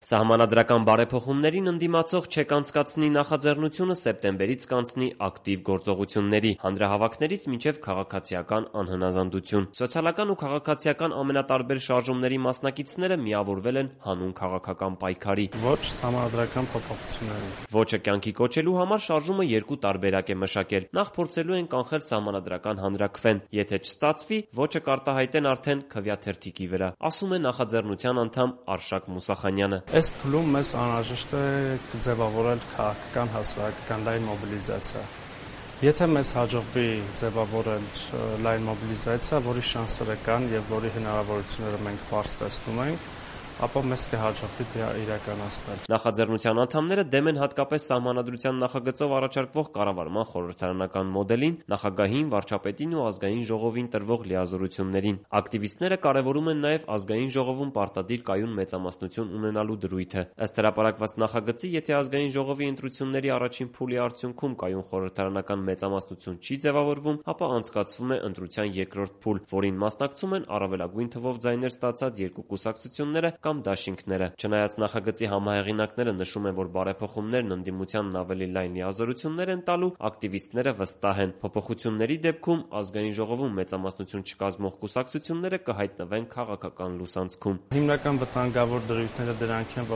Սահմանադրական բարեփոխումներին ընդդիմացող ՉԵԿ անցկացնի նախաձեռնությունը սեպտեմբերից կանցնի ակտիվ գործողությունների, հանրահավաքներից մինչև քաղաքացիական անհնազանդություն։ Սոցիալական ու քաղաքացիական ամենատարբեր շարժումների մասնակիցները միավորվել են հանուն քաղաքական պայքարի։ Ոչ սահմանադրական փոփոխությունների։ Ոչը կյանքի կոչելու համար շարժումը երկու տարբերակ է մշակել։ Նախ փորձելու են կանխել սահմանադրական հանրաքվեն, եթե չստացվի, ոչը կարտահայտեն արդեն քվեաթերթիկի վրա, ասում է նախաձեռնության անդամ Արշակ Մուսախանյանը։ Այս փուլում մեզ անհրաժեշտ է ձևավորել քաղաքական հասարակական լայն մոբիլիզացիա։ Եթե մեզ հաջողվի ձևավորել լայն մոբիլիզացիա, որի շանսերը կան եւ որի հնարավորությունները մենք բարձ տեսնում ենք, ապա մեզ կհաջողվի դա իրականացնել։ Նախաձեռնության անդամները դեմ են հատկապես սահմանադրության նախագծով առաջարկվող կառավարման խորհրդարանական մոդելին, նախագահին, վարչապետին ու ազգային ժողովին տրվող լիազորություններին։ Ակտիվիստները կարևորում են նաև ազգային ժողովում պարտադիր կայուն մեծամասնություն ունենալու դրույթը։ Ըստ հրապարակված նախագծի, եթե ազգային ժողովի ընտրությունների առաջին փուլի արդյունքում կայուն խորհրդարանական մեծամասնություն չի ձևավորվում, ապա անցկացվում է ընտրության երկրորդ փուլ, որին մասնակցում են առավելագույն թվով ձայներ ստացած երկու կուսակցությունները կամ դաշինքները։ Չնայած նախագծի համահեղինակները նշում են, որ բարեփոխումներն ընդդիմությանն ավելի լայն լիազորություններ են տալու, ակտիվիստները վստահ են, փոփոխությունների դեպքում ազգային ժողովում մեծամասնություն չկազմող կուսակցությունները կհայտնվեն քաղաքական լուսանցքում։ Հիմնական վտանգավոր դրույթները դրանք են,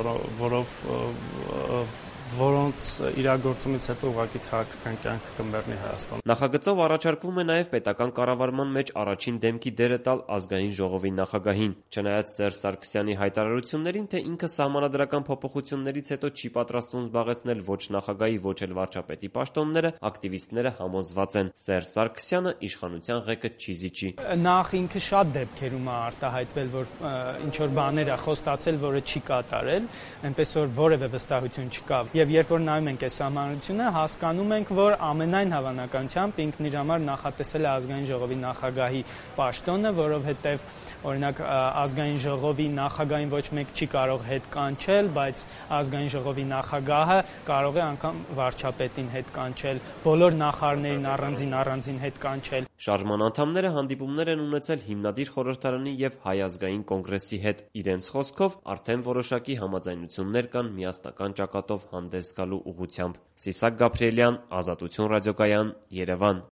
որոնց իրագործումից հետո ուղղակի քաղաքական կյանքը կմեռնի Հայաստանում։ Նախագծով առաջարկվում է նաև պետական կառավարման մեջ առաջին դեմքի դերը տալ ազգային ժողովի նախագահին։ Չնայած Սերժ Սարգսյանի հայտարարություններին, թե ինքը սահմանադրական փոփոխություններից հետո չի պատրաստվում զբաղեցնել ոչ նախագահի, ոչ էլ վարչապետի պաշտոնները, ակտիվիստները համոզված են՝ Սերժ Սարգսյանը իշխանության ղեկը չի զիջի։ Նախ ինքը շատ դեպքերում է արտահայտվել, որ ինչ որ բաներ է խոստացել, որը չի կատարել, այնպես որ որևէ վստահություն չկա։ Եվ երբ որ նայում ենք այս սահմանադրությունը, հասկանում ենք, որ ամենայն հավանականությամբ ինքն իր համար նախատեսել է ազգային ժողովի նախագահի պաշտոնը, որովհետև օրինակ ազգային ժողովի նախագահին ոչ մեկ չի կարող հետ կանչել, բայց ազգային ժողովի նախագահը կարող է անգամ վարչապետին հետ կանչել, բոլոր նախարարներին առանձին հետ կանչել։ Շարժման անդամները հանդիպումներ են ունեցել հիմնադիր խորհրդարանի եւ Հայ ազգային կոնգրեսի հետ։ Իրենց խոսքով արդեն որոշակի համաձայնություններ կան միասնական ճակատով հանդես գալու ուղղությամբ։ Սիսակ Գաբրիելյան, Ազատություն ռադիոկայան, Երևան։